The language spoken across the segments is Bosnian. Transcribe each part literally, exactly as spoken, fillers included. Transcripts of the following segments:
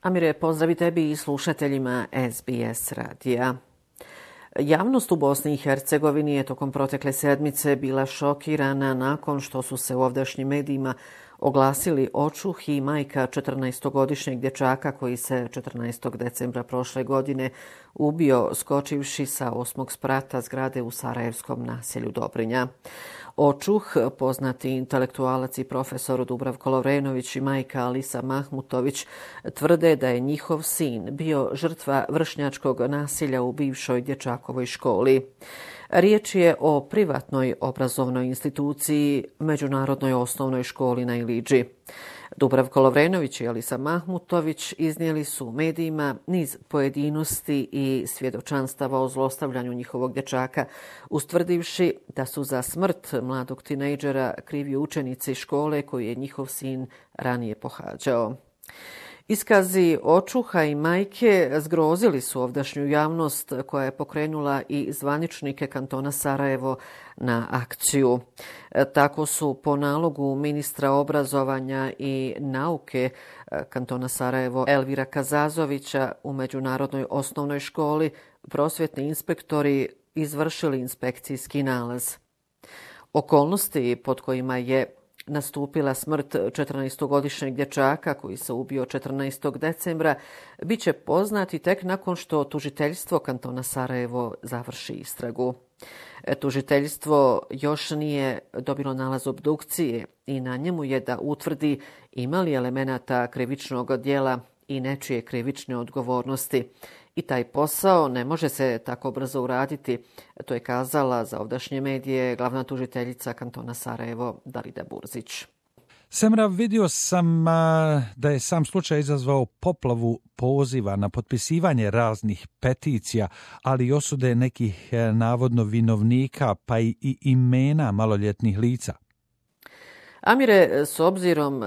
Amire, pozdravi tebi i slušateljima S B S radija. Javnost u Bosni i Hercegovini je tokom protekle sedmice bila šokirana nakon što su se u ovdašnjim medijima oglasili očuh i majka četrnaestogodišnjeg dječaka koji se četrnaestog decembra prošle godine ubio skočivši sa osmog sprata zgrade u sarajevskom naselju Dobrinja. Očuh, poznati intelektualac i profesor Dubravko Lovrenović i majka Alisa Mahmutović tvrde da je njihov sin bio žrtva vršnjačkog nasilja u bivšoj dječakovoj školi. Riječ je o privatnoj obrazovnoj instituciji, Međunarodnoj osnovnoj školi na Ilidži. Dubravko Lovrenović i Alisa Mahmutović iznijeli su medijima niz pojedinosti i svjedočanstava o zlostavljanju njihovog dječaka, ustvrdivši da su za smrt mladog tinejdžera krivi učenici škole koju je njihov sin ranije pohađao. Iskazi očuha i majke zgrozili su ovdašnju javnost koja je pokrenula i zvaničnike kantona Sarajevo na akciju. Tako su po nalogu ministra obrazovanja i nauke kantona Sarajevo Elvira Kazazovića u Međunarodnoj osnovnoj školi prosvjetni inspektori izvršili inspekcijski nalaz. Okolnosti pod kojima je nastupila smrt četrnaestogodišnjeg dječaka koji se ubio četrnaestog decembra bit će poznati tek nakon što tužiteljstvo kantona Sarajevo završi istragu. Tužiteljstvo još nije dobilo nalaz obdukcije i na njemu je da utvrdi ima li elemenata krivičnog djela i nečije krivične odgovornosti. I taj posao ne može se tako brzo uraditi, to je kazala za ovdašnje medije glavna tužiteljica kantona Sarajevo Dalida Burzić. Semra, vidio sam a, da je sam slučaj izazvao poplavu poziva na potpisivanje raznih peticija, ali i osude nekih e, navodno vinovnika pa i, i imena maloljetnih lica. Amire, s obzirom e,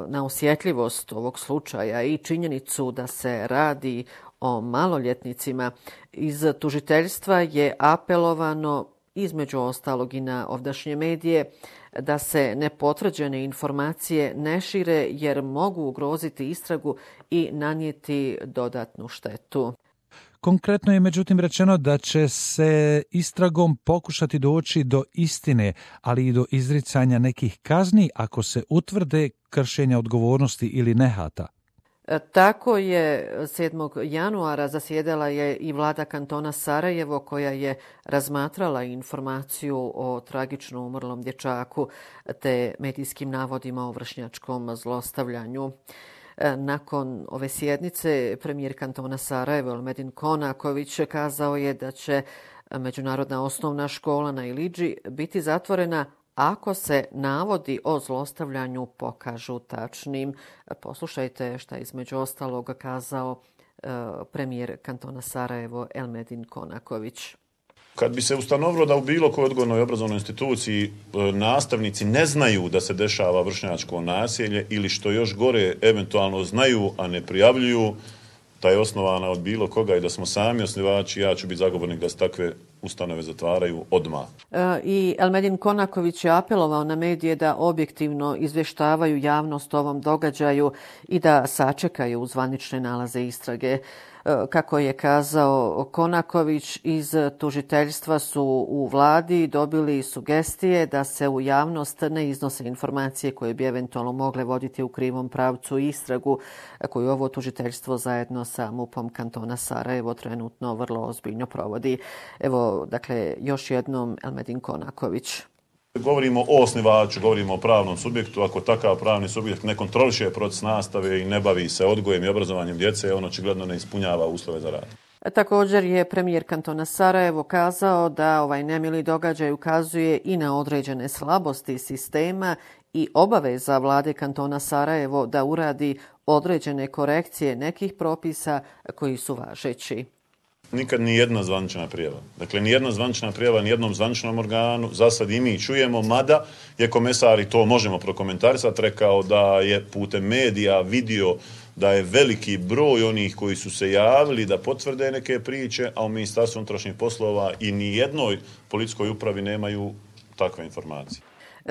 na osjetljivost ovog slučaja i činjenicu da se radi o maloljetnicima, iz tužiteljstva je apelovano između ostalog i na ovdašnje medije da se nepotvrđene informacije ne šire jer mogu ugroziti istragu i nanijeti dodatnu štetu. Konkretno je međutim rečeno da će se istragom pokušati doći do istine, ali i do izricanja nekih kazni ako se utvrde kršenja odgovornosti ili nehata. Tako je sedmog januara zasjedala je i vlada kantona Sarajevo koja je razmatrala informaciju o tragično umrlom dječaku te medijskim navodima o vršnjačkom zlostavljanju. Nakon ove sjednice premijer kantona Sarajevo Elmedin Konaković kazao je da će Međunarodna osnovna škola na Ilidži biti zatvorena ako se navodi o zlostavljanju pokažu tačnim. Poslušajte šta je između ostalog kazao uh, premijer kantona Sarajevo Elmedin Konaković. Kad bi se ustanovilo da u bilo kojoj odgojnoj obrazovnoj instituciji nastavnici ne znaju da se dešava vršnjačko nasilje ili što još gore eventualno znaju, a ne prijavljuju, da je osnovana od bilo koga i da smo sami osnivači, ja ću biti zagovornik da se takve ustanove zatvaraju odmah. E, I Elmedin Konaković je apelovao na medije da objektivno izvještavaju javnost o ovom događaju i da sačekaju zvanične nalaze istrage. Kako je kazao Konaković, iz tužiteljstva su u vladi dobili sugestije da se u javnost ne iznose informacije koje bi eventualno mogle voditi u krivom pravcu istragu koju ovo tužiteljstvo zajedno sa MUP-om kantona Sarajevo trenutno vrlo ozbiljno provodi. Evo, dakle, još jednom Elmedin Konaković. Govorimo o osnivaču, govorimo o pravnom subjektu. Ako takav pravni subjekt ne kontroliše proces nastave i ne bavi se odgojem i obrazovanjem djece, on očigledno ne ispunjava uslove za rad. Također je premijer kantona Sarajevo kazao da ovaj nemili događaj ukazuje i na određene slabosti sistema i obaveza vlade kantona Sarajevo da uradi određene korekcije nekih propisa koji su važeći. Nikad ni jedna zvanična prijava. Dakle, ni jedna zvanična prijava, ni jednom zvaničnom organu, za sad i mi čujemo, mada je komesar, i to možemo prokomentarisati, rekao da je putem medija vidio da je veliki broj onih koji su se javili da potvrde neke priče, a u Ministarstvu unutrašnjih poslova i ni jednoj policijskoj upravi nemaju takve informacije.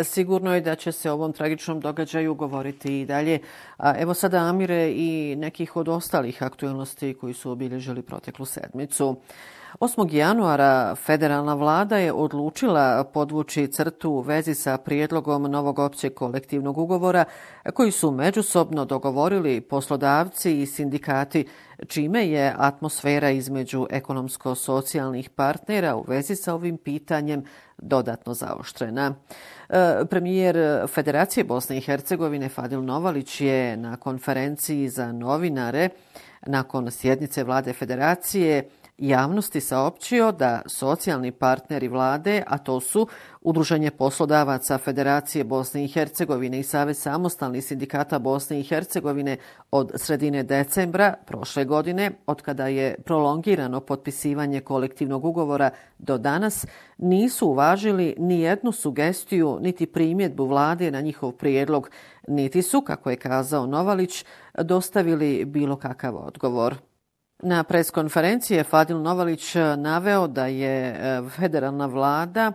Sigurno je da će se o ovom tragičnom događaju govoriti i dalje. A evo sada, Amire, i nekih od ostalih aktualnosti koji su obilježili proteklu sedmicu. osmog januara federalna vlada je odlučila podvući crtu u vezi sa prijedlogom novog općeg kolektivnog ugovora koji su međusobno dogovorili poslodavci i sindikati, čime je atmosfera između ekonomsko-socijalnih partnera u vezi sa ovim pitanjem dodatno zaoštrena. Premijer Federacije Bosne i Hercegovine Fadil Novalić je na konferenciji za novinare nakon sjednice vlade Federacije javnosti saopćio da socijalni partneri vlade, a to su Udruženje poslodavaca Federacije Bosne i Hercegovine i Savez samostalnih sindikata Bosne i Hercegovine od sredine decembra prošle godine, otkada je prolongirano potpisivanje kolektivnog ugovora do danas, nisu uvažili ni jednu sugestiju niti primjedbu vlade na njihov prijedlog, niti su, kako je kazao Novalić, dostavili bilo kakav odgovor. Na preskonferenciji je Fadil Novalić naveo da je federalna vlada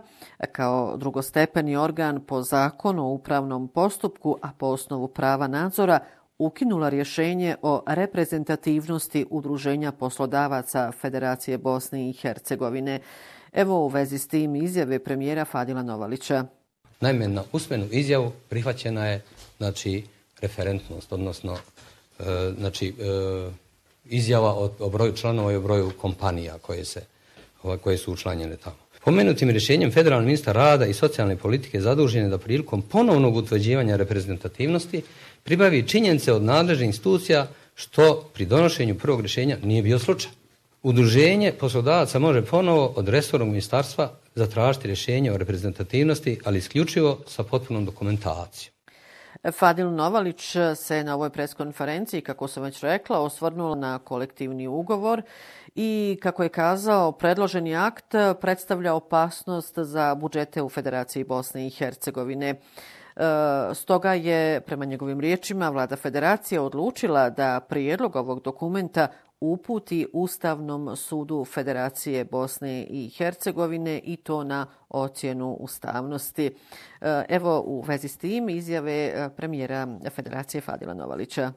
kao drugostepeni organ po zakonu o upravnom postupku, a po osnovu prava nadzora, ukinula rješenje o reprezentativnosti Udruženja poslodavaca Federacije Bosne i Hercegovine. Evo u vezi s tim izjave premijera Fadila Novalića. Naime, na usmenu izjavu prihvaćena je znači, referentnost, odnosno e, znači, e, izjava o, o broju članova i o broju kompanija koje, se, koje su učlanjene tamo. Pomenutim rješenjem federalni ministar rada i socijalne politike zadužen je da prilikom ponovnog utvrđivanja reprezentativnosti pribavi činjenice od nadležnih institucija što pri donošenju prvog rješenja nije bio slučaj. Udruženje poslodavaca može ponovo od resornog ministarstva zatražiti rješenje o reprezentativnosti, ali isključivo sa potpunom dokumentacijom. Fadil Novalić se na ovoj preskonferenciji, kako sam već rekla, osvrnuo na kolektivni ugovor i, kako je kazao, predloženi akt predstavlja opasnost za budžete u Federaciji Bosne i Hercegovine. Stoga je, prema njegovim riječima, vlada Federacije odlučila da prijedlog ovog dokumenta uputi Ustavnom sudu Federacije Bosne i Hercegovine i to na ocjenu ustavnosti. Evo u vezi s tim izjave premijera Federacije Fadila Novalića.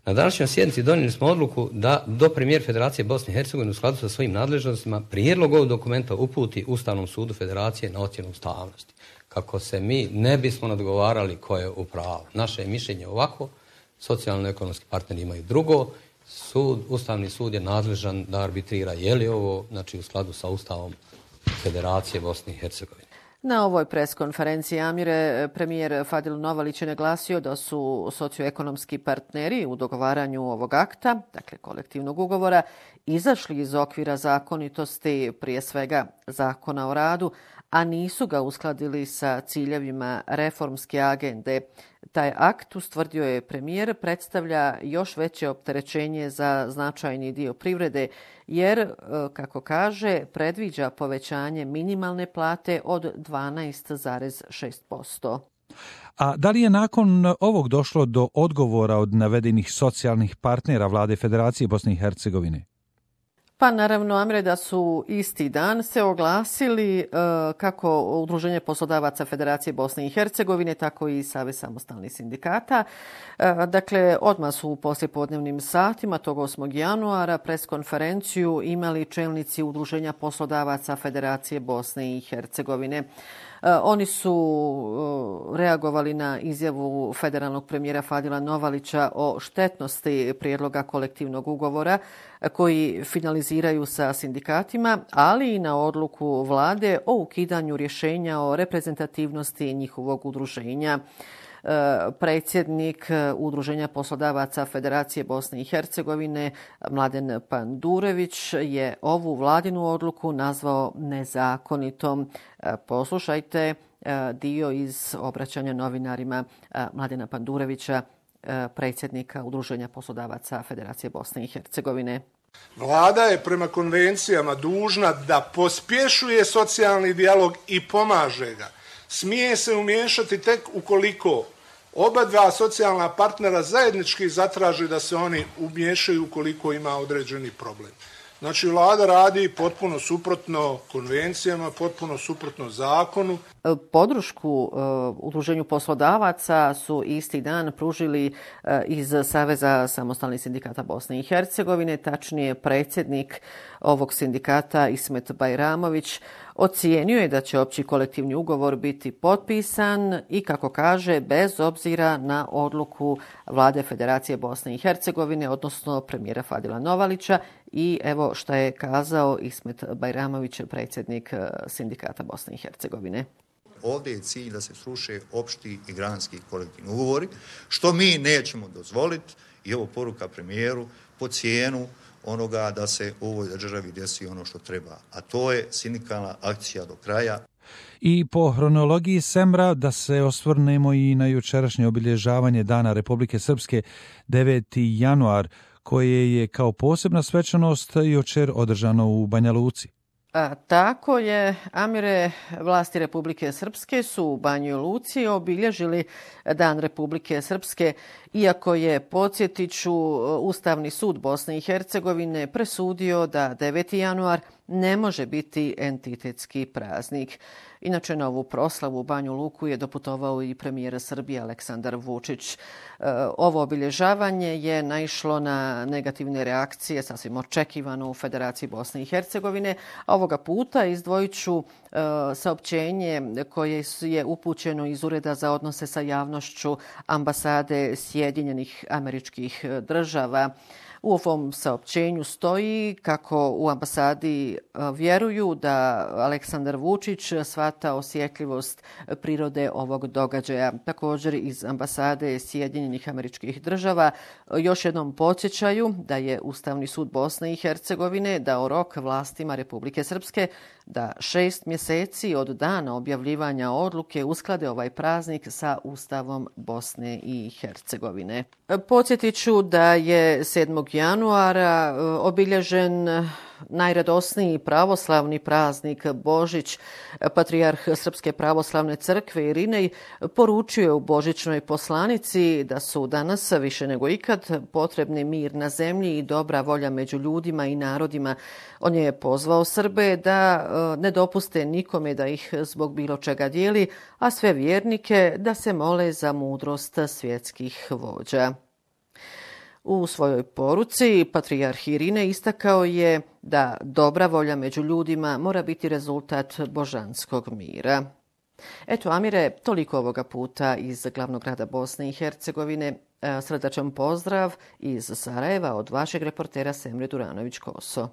Na današnjoj sjednici donijeli smo odluku da do premijer Federacije Bosne i Hercegovine u skladu sa svojim nadležnostima prijedlog ovog dokumenta uputi Ustavnom sudu Federacije na ocjenu ustavnosti. Kako se mi ne bismo nadgovarali ko je u pravu. Naše je mišljenje ovako, socijalno-ekonomski partneri imaju drugo. Sud, Ustavni sud je nadležan da arbitrira je li ovo znači, u skladu sa Ustavom Federacije Bosne i Hercegovine. Na ovoj preskonferenciji, Amire, premijer Fadil Novalić je naglasio da su socioekonomski partneri u dogovaranju ovog akta, dakle kolektivnog ugovora, izašli iz okvira zakonitosti, prije svega Zakona o radu, a nisu ga uskladili sa ciljevima reformske agende. Taj akt, ustvrdio je premijer, predstavlja još veće opterećenje za značajni dio privrede, jer, kako kaže, predviđa povećanje minimalne plate od dvanaest zarez šest posto. A da li je nakon ovog došlo do odgovora od navedenih socijalnih partnera vlade Federacije Bosne i Hercegovine? Pa naravno, Amre, da su isti dan se oglasili e, kako Udruženje poslodavaca Federacije Bosne i Hercegovine, tako i Savez samostalnih sindikata. E, dakle, odmah su u poslijepodnevnim satima tog osmog januara preskonferenciju imali čelnici Udruženja poslodavaca Federacije Bosne i Hercegovine. Oni su reagovali na izjavu federalnog premijera Fadila Novalića o štetnosti prijedloga kolektivnog ugovora koji finaliziraju sa sindikatima, ali i na odluku vlade o ukidanju rješenja o reprezentativnosti njihovog udruženja. Predsjednik Udruženja poslodavaca Federacije Bosne i Hercegovine Mladen Pandurević je ovu vladinu odluku nazvao nezakonitom. Poslušajte dio iz obraćanja novinarima Mladena Pandurevića, predsjednika Udruženja poslodavaca Federacije Bosne i Hercegovine. Vlada je prema konvencijama dužna da pospješuje socijalni dijalog i pomaže ga. Smije se umiješati tek ukoliko oba dva socijalna partnera zajednički zatraže da se oni umiješaju ukoliko ima određeni problem. Znači, vlada radi potpuno suprotno konvencijama, potpuno suprotno zakonu. Podršku Udruženju poslodavaca su isti dan pružili iz Saveza samostalnih sindikata Bosne i Hercegovine, tačnije predsjednik ovog sindikata Ismet Bajramović ocijenio je da će opći kolektivni ugovor biti potpisan i, kako kaže, bez obzira na odluku Vlade Federacije Bosne i Hercegovine, odnosno premijera Fadila Novalića. I evo šta je kazao Ismet Bajramović, predsjednik sindikata Bosne i Hercegovine. Ovdje je cilj da se sruše opšti i granski kolektivni ugovori, što mi nećemo dozvoliti, i ovo poruka premijeru, po cijenu onoga da se u ovoj državi desi ono što treba, a to je sindikalna akcija do kraja. I po hronologiji Semra da se osvrnemo i na jučerašnje obilježavanje Dana Republike Srpske, deveti januar, koje je kao posebna svečanost jučer održano u Banja Luci. A, tako je, Amire, vlasti Republike Srpske su u Banjoj Luci obilježili Dan Republike Srpske, iako je, podsjetiću, Ustavni sud Bosne i Hercegovine presudio da deveti januar ne može biti entitetski praznik. Inače, na ovu proslavu u Banju Luku je doputovao i premijer Srbije Aleksandar Vučić. Ovo obilježavanje je naišlo na negativne reakcije, sasvim očekivano, u Federaciji Bosne i Hercegovine. Ovoga puta izdvojit ću saopćenje koje je upućeno iz Ureda za odnose sa javnošću ambasade Sjedinjenih Američkih Država. U ovom saopćenju stoji kako u ambasadi vjeruju da Aleksandar Vučić shvata osjetljivost prirode ovog događaja. Također iz ambasade Sjedinjenih Američkih Država još jednom podsjećaju da je Ustavni sud Bosne i Hercegovine dao rok vlastima Republike Srpske da šest mjeseci od dana objavljivanja odluke usklade ovaj praznik sa Ustavom Bosne i Hercegovine. Podsjetit ću da je sedmog januara obilježen najradosniji pravoslavni praznik Božić. Patrijarh Srpske pravoslavne crkve Irinej poručio je u božićnoj poslanici da su danas više nego ikad potrebni mir na zemlji i dobra volja među ljudima i narodima. On je pozvao Srbe da ne dopuste nikome da ih zbog bilo čega dijeli, a sve vjernike da se mole za mudrost svjetskih vođa. U svojoj poruci patrijarh Irinej istakao je da dobra volja među ljudima mora biti rezultat božanskog mira. Eto, Amire, toliko ovoga puta iz glavnog grada Bosne i Hercegovine. Srdačan pozdrav iz Sarajeva od vašeg reportera Semre Duranović-Koso.